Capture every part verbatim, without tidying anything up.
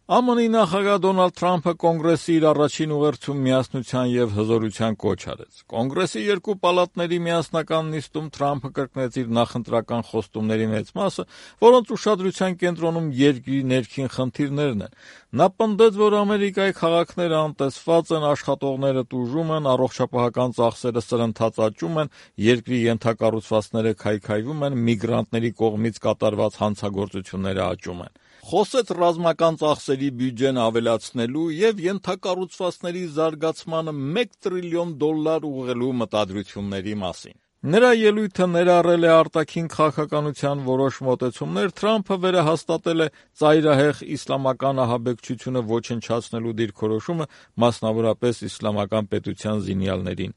Է Մ Ն-ի նախագահ Դոնալդ Թրամփը Կոնգրեսի իր առաջին ուղերձում միասնության եւ հզորության կոչ արեց։ Կոնգրեսի երկու պալատների միասնական նիստում Թրամփը կրկնեց իր նախընտրական խոստումների մեծ մասը, որոնց ուշադրության կենտրոնում երկրի ներքին խնդիրներն են։ Նա պնդեց, որ Ամերիկայի քաղաքները անտեսված են, աշխատողները տուժում են, առողջապահական ծախսերը սրընթաց աճում են, երկրի ենթակառուցվածքները քայքայվում են, միգրանտների կողմից կատարված հանցագործությունները աճում են։ Խոսեց ռազմական ծախսերի բյուջեն ավելացնելու եւ ենթակառուցվածքների զարգացմանը մեկ տրիլիոն դոլար ուղղելու մտադրությունների մասին։ Նրա ելույթը ներառել է արտաքին քաղաքականության որոշ մոտեցումներ, Թրամփը վերահաստատել է ծայրահեղ իսլամական ահաբեկչությունը ոչնչացնելու դիրքորոշումը, մասնավորապես իսլամական պետության զինյալներին։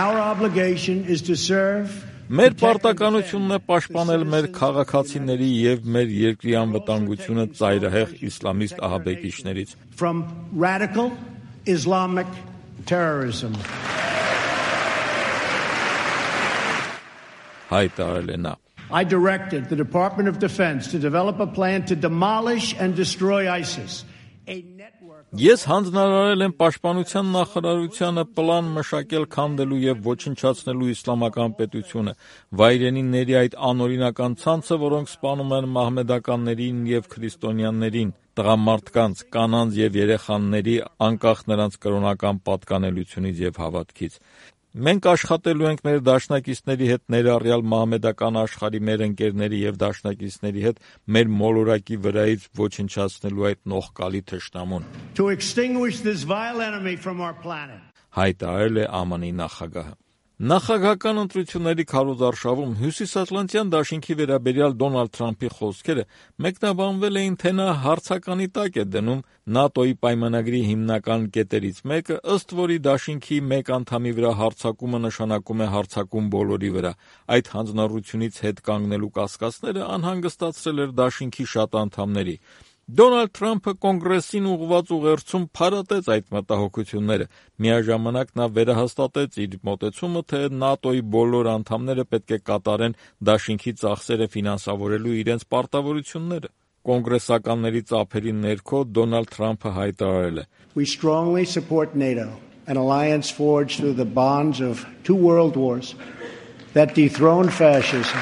Our obligation is to serve Մեր պարտականությունն է պաշտպանել մեր քաղաքացիների եւ մեր երկրի անվտանգությունը ծայրահեղ իսլամիստ ահաբեկիչներից։ From radical Islamic terrorism. Հայտարարել է նա։ I directed the Department of Defense to develop a plan to demolish and destroy ISIS. A network Ես հանձնարարել եմ Պաշտպանության նախարարությանը պլան մշակել քանդելու եւ ոչնչացնելու իսլամական պետությունը, վայրենիների այդ անօրինական ցանցը, որոնք սպանում են մահմեդականներին եւ քրիստոնյաներին, տղամարդկանց, կանանց եւ երեխաների, անկախ նրանց կրոնական պատկանելությունից եւ հավատքից։ Մենք աշխատելու ենք մեր դաշնակիցների հետ, ներառյալ մահմեդական աշխարհի մեր ընկերների եւ դաշնակիցների հետ, մեր մոլորակի վրայից ոչնչացնելու այդ նողկալի թշնամուն։ To extinguish this vile enemy from our planet. Հայտարարել է Ա Մ Ն-ի նախագահը։ Նախագահական ընտրությունների քարոզարշավում Հյուսիսատլանտյան դաշինքի վերաբերյալ Դոնալդ Թրամփի խոսքերը մեկնաբանվել էին, թե նա հարցականի տակ է դնում ՆԱՏՕ-ի պայմանագրի հիմնական կետերից մեկը, ըստ որի դաշինքի մեկ անդամի վրա հարձակումը նշանակում է հարձակում բոլորի վրա։ Այդ հանձնառությունից հետ կանգնելու կասկածները անհանգստացրել էր դաշինքի շատ անդամների։ Դոնալդ Թրամփը Կոնգրեսին ուղղված ուղերձում փարատեց այդ մտահոգությունները։ Միաժամանակ նա վերահաստատեց իր մոտեցումը, թե ՆԱՏՕ-ի բոլոր անդամները պետք է կատարեն դաշինքի ծախսերը ֆինանսավորելու իրենց պարտավորությունները։ Կոնգրեսականների ծափերի ներքո Դոնալդ Թրամփը հայտարարել է. We strongly support NATO, an alliance forged through the bonds of two world wars that dethroned fascism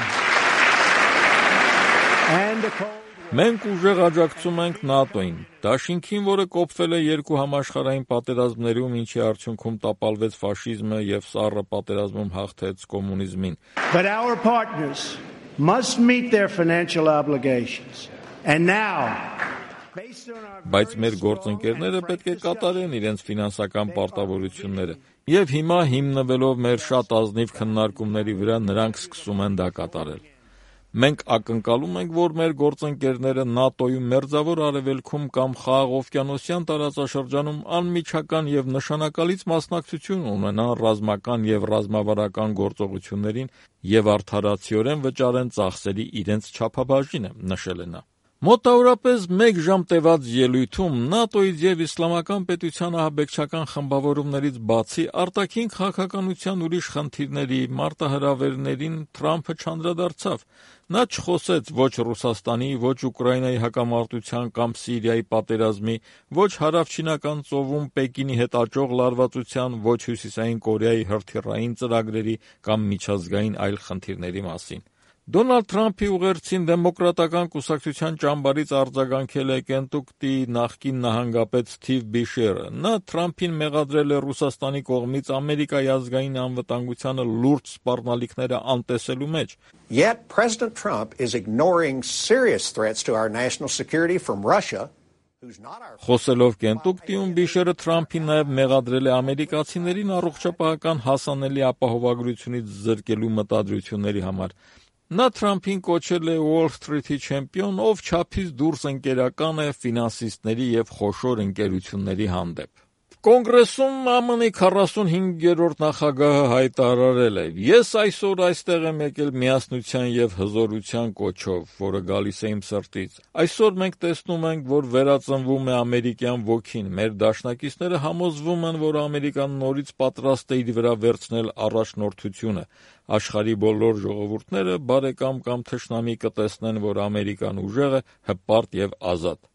and the Cold Մենք ուժեղ աջակցում ենք ՆԱՏՕ-ին, դաշինքին, որը կոփվել է երկու համաշխարհային պատերազմներում, ինչի արդյունքում տապալվեց ֆաշիզմը եւ սառը պատերազմում հաղթեց կոմունիզմին։ But our partners must meet their financial obligations. And now, based on our Բայց մեր գործընկերները պետք է կատարեն իրենց ֆինանսական պարտավորությունները։ Եվ հիմա հիմնվելով մեր շատ ազնիվ քննարկումների վրա նրանք սկսում են դա կատարել։ Մենք ակնկալում ենք, որ մեր գործընկերները ՆԱՏՕ-ում մերձավոր արևելքում կամ խաղաղօվկիանոսյան տարածաշրջանում անմիջական եւ նշանակալից մասնակցություն ունենան ռազմական եւ ռազմավարական գործողություններին եւ արդարացիորեն վճարեն ծախսերի իրենց չափաբաժինը, նշել է նա։ Մոտավորապես մեկ ժամ տևած ելույթում ՆԱՏՕ-ից եւ իսլամական պետության ահաբեկչական խմբավորումներից բացի արտաքին քաղաքականության ուրիշ խնդիրների, մարտահրավերներին Թրամփը չանդրադարձավ։ Նա չխոսեց ոչ Ռուսաստանի, ոչ Ուկրաինայի հակամարտության կամ Սիրիայի պատերազմի, ոչ հարավչինական ծովում Պեկինի հետ աճող լարվածության, ոչ Հյուսիսային Կորեայի հրթիռային ծրագրերի կամ միջազգային այլ խնդիրների մասին։ Դոնալդ Թրամփի ուղերձին դեմոկրատական կուսակցության ճամբարից արձագանքել է Կենտուկտի նախկին նահանգապետ Սթիվ Բիշերը։ Նա Թրամփին մեղադրել է Ռուսաստանի կողմից Ամերիկայի ազգային անվտանգությանը լուրջ սպառնալիքները անտեսելու մեջ։ Yet President Trump is ignoring serious threats to our national security from Russia. Խոսելով Կենտուկտիում Բիշերը Թրամփին նաև մեղադրել է ամերիկացիներին առողջապահական հասանելի ապահովագրությունից զրկելու մտադրությունների համար։ Նա Թրամփին կոչել է Wall Street-ի չեմպիոն, ով չափից դուրս ընկերական է ֆինանսիստների եւ խոշոր ընկերությունների հանդեպ։ Կոնգրեսում Ա Մ Ն-ի քառասունհինգերորդ նախագահը հայտարարել է. Ես այսօր այստեղ եմ եկել միասնության եւ հզորության կոչով, որը գալիս է իմ սրտից։ Այսօր մենք տեսնում ենք, որ վերածնվում է ամերիկյան ոգին։ Մեր դաշնակիցները համոզվում են, որ Ամերիկան նորից պատրաստ է իր վրա վերցնել առաջնորդությունը։ Աշխարհի բոլոր ժողովուրդները բարեկամ կամ թշնամի կտեսնեն, որ Ամերիկան ուժեղ է, հպարտ եւ ազատ։